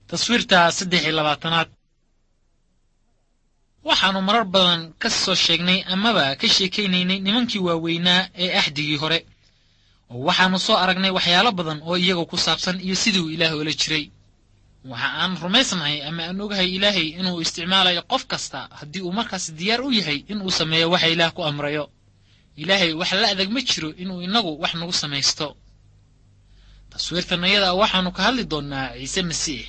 Taswiirta 23aad. Waxaannu marar badan ka soo sheegnay amaba ka sheekaynaynay nimankii waaweynaa ee axdigii hore, oo waxaannu soo aragnay waxyaalo badan oo iyaga ku saabsan iyo sidii uu Ilaah ula jiray. Waxa aan rumaysnahay ama aan ogahay Ilaahay inuu isticmaalayo qof kasta haddii uu markaas diyaar u yahay inuu sameeyo waxa Ilaah ku amrayo. Ilaahay wax la adag ma jiro inuu inagu wax nagu samaysto. Taswiirtan iyada waxaannu ka hadli doonnaa Ciise Masiix.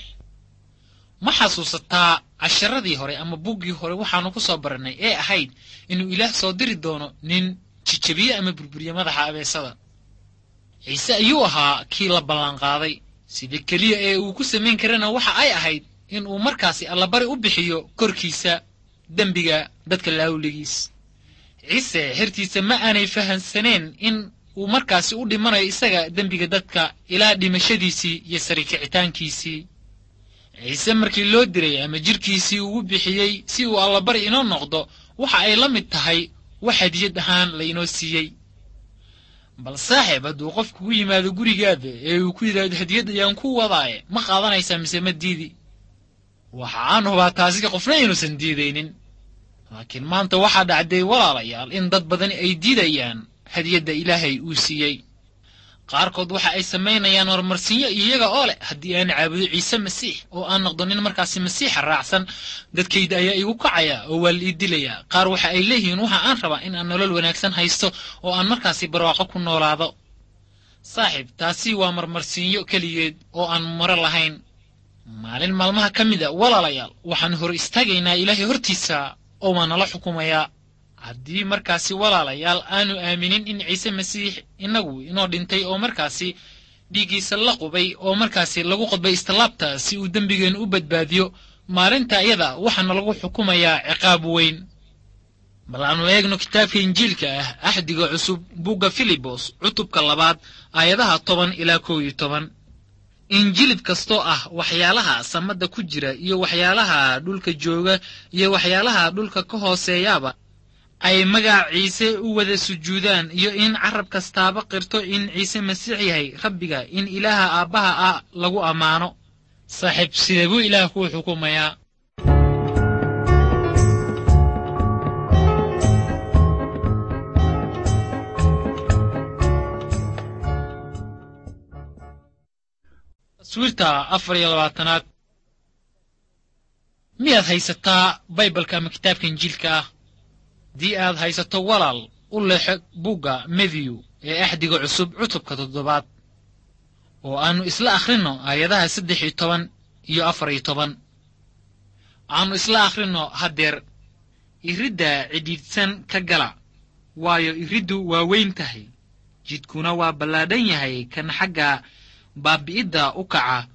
Ma xasuusataa casharadii hore ama buggii hore waxaannu ku soo barannay ee ahayd inuu Ilaah soo diri doono nin jijabiye ama burburiye madaxa abeesada? Ciise ayuu ahaa kii la ballanqaaday. Sida keliya ee uu ku samayn karana waxa ay ahayd in uu markaasi allabari u bixiyo korkiisa dembiga dadka laawligiis. Ciise xertiisa ma aanay fahansaneen in uu markaasi u dhimanayo isaga dembiga dadka ilaa dhimashadiisii iyo sarikicitaankiisii. Ciise markii loo diray ama jidhkiisii ugu bixiyey si uu allabari inoo noqdo, waxa ay la mid tahay wax hadiyad ahaan la inoo siiyey. Bal saaxiib, hadduu qof kugu yimaado gurigaada ee uu ku yidhaahdo hadiyad ayaan ku wadaaye, ma qaadanaysaa mise ma diidi? Waxa aan hubaa taasi qofna inuusan diidaynin. Laakiin maanta waxaa dhacday, walaalayaal, in dad badani ay diidayaan hadiyadda Ilaahay uu siiyey. Qaarkood waxa ay samaynayaan horumarsinyo iyaga oo leh, haddii aan caabudo Ciise Masiix oo aan noqdo nin markaasi Masiixa raacsan, dadkayda ayaa igu kacaya oo waa la ii dilayaa. Qaar waxa ay leeyihiin, waxa aan rabaa in aan nolol wanaagsan haysto oo aan markaasi barwaaqo ku noolaado. Saaxiib, taasi waa marmarsiinyo keligeed oo aan maro lahayn. Maalin maalmaha ka mid a, walaalayaal, waxaan hor istaagaynaa Ilaahay hortiisa oo waa nala xukumayaa. Haddii markaasi, walaalayaal, aanu aaminin in Ciise Masiix inagu inoo dhintay oo markaasi dhiiggiisa la qubay oo markaasi lagu qodbay istallaabta si uu dembigeennu u badbaadiyo, maalinta iyada waxaana lagu xukumayaa ciqaab weyn. Bal aanu eegno kitaabka Injiilka ah, Axdiga Cusub, bugga Filibos, cutubka 2, aayadaha 10 ilaa 11. Injilib kastoo ah waxyaalaha samada ku jira iyo waxyaalaha dhulka jooga iyo waxyaalaha dhulka ka hooseeyaaba ay magaca Ciise u wada sujuudaan, iyo in carab kastaaba qirto in Ciise Masiix yahay Rabbiga, in Ilaaha Aabbaha ah lagu ammaano. Saaxiib, sidee buu Ilaah kuu xukumayaa? Taswiirta 24aad. Miyaad haysataa Baybalka ama kitaabka Injiilka ah? Haddii aad haysato, walaal, u leexo bugga Matthew ee Axdiga Cusub, cutubka 7aad, oo aannu isla akhrinno aayadaha 13 iyo 14. Aannu isla akhrinno haddeer. Iridda cidhiidhsan ka gala, waayo iriddu waa weyn tahay, jidkuna waa ballaadhan yahay kan xagga baabi'idda u kaca,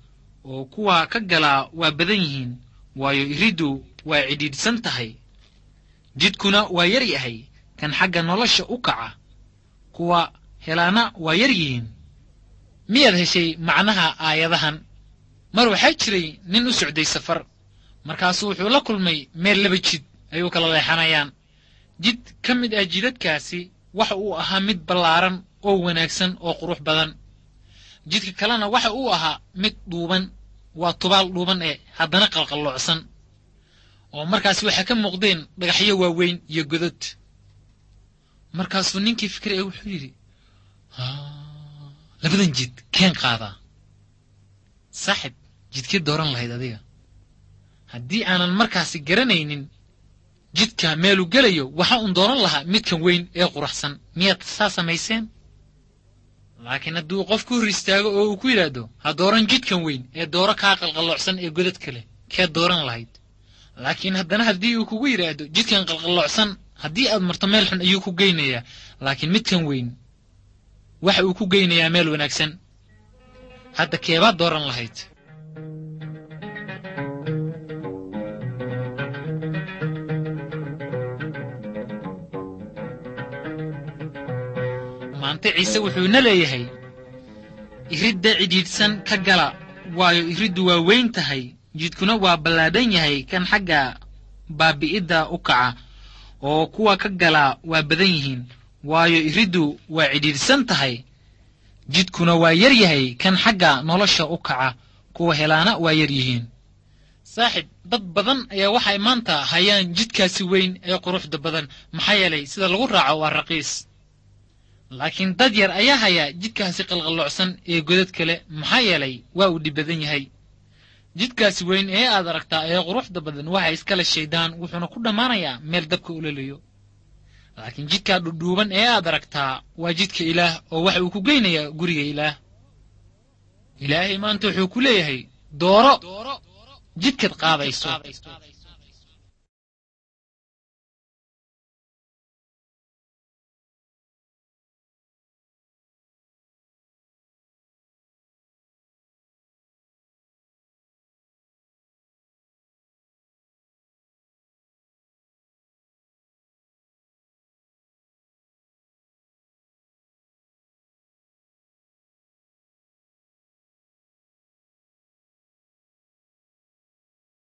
oo kuwa ka galaa waa badan yihiin. Waayo iriddu waa cidhiidhsan tahay, jidkuna waa yar yahay kan xagga nolosha u kaca, kuwa helaana waa yar yihiin. Miyaad heshay macnaha aayadahan? Mar waxaa jiray nin u socday safar. Markaasuu wuxuu la kulmay meel laba jid ay u kala leexanayaan. Jid ka mid ah jidadkaasi waxa uu ahaa mid ballaaran oo wanaagsan oo qurux badan. Jidka kalena waxa uu ahaa mid dhuuban, waa tubaal dhuuban ee haddana qalqalloocsan, oo markaasi waxaa ka muuqdeen dhagaxyo waaweyn iyo godod. Markaasuu ninkii fikray ee wuxuu yidhi, labadan jid keen qaadaa? Saaxib, jidkee dooran lahayd adiga? Haddii aanan markaasi garanaynin jidka meeluu gelayo, waxa uun dooran lahaa midkan weyn ee quraxsan. Miyaad saa samayseen? Laakiin hadduu qof ku hor istaago oo uu ku yidhaahdo, ha dooran jidkan weyn ee dooro kaa qalqalloocsan ee godadka leh, kee dooran lahayd? Laakiin haddana haddii uu kugu yidhaahdo, jidkan qalqalloocsan haddii aad marto meel xun ayuu ku geynayaa, laakiin midkan weyn waxa uu ku geynayaa meel wanaagsan, hadda keebaad dooran lahayd? Maanta Ciise wuxuuna leeyahay, iridda cidhiidhsan ka gala, waayo iriddu waa weyn tahay, jidkuna waa ballaadhan yahay kan xagga baabi'idda u kaca, oo kuwa ka galaa waa badan yihiin. Waayo iriddu waa cidhiidhsan tahay, jidkuna waa yar yahay kan xagga nolosha u kaca, Kuwa helaana waa yar yihiin. Saaxib, dad badan ayaa waxay maanta hayaan jidkaasi weyn ee quruxda badan, maxaa yeelay sida lagu raaco waa raqiis. Laakiin dad yar ayaa hayaa jidkaasi qalqalloocsan ee godad kale, maxaa yeelay waa uu dhib badan yahay. Jidkaasi weyn ee aad aragtaa ee quruxda badan waxa iskale shaydaan, wuxuuna ku dhammaanayaa meel dabka ololayo. Laakiin jidkaa dhudhuuban ee aad aragtaa waa jidka Ilaah, oo waxa uu ku geynayaa guriga Ilaah. Ilaahay maanta wuxuu ku leeyahay, dooro jidkaad qaadayso.